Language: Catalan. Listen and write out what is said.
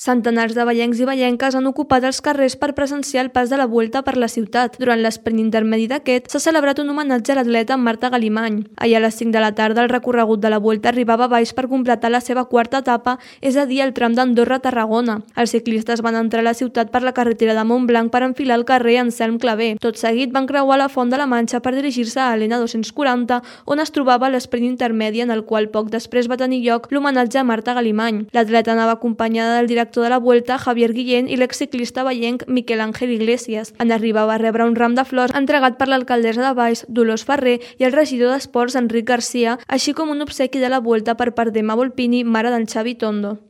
Centenars de vallencs i vallenques han ocupat els carrers per presenciar el pas de la Vuelta per la ciutat. Durant l'esprint intermedi d'aquest, s'ha celebrat un homenatge a l'atleta Marta Galimany. Ahir a les 5 de la tarda, el recorregut de la Vuelta arribava a Valls per completar la seva quarta etapa, és a dir, el tram d'Andorra-Tarragona. Els ciclistes van entrar a la ciutat per la carretera de Montblanc per enfilar el carrer Anselm Clavé. Tot seguit van creuar la Font de la Manxa per dirigir-se a l'N 240, on es trobava l'esprint intermedi en el qual poc després va tenir lloc l'homenatge a Marta Galimany. L'atleta anava acompanyada del director de la Vuelta, Javier Guillén, i l'exciclista vallenc Miquel Ángel Iglesias. En arribar va rebre un ram de flors entregat per l'alcaldessa de Valls, Dolors Ferrer, i el regidor d'Esports, Enric Garcia, així com un obsequi de la Vuelta per part d'Emma Volpini, mare d'en Xavi Tondo.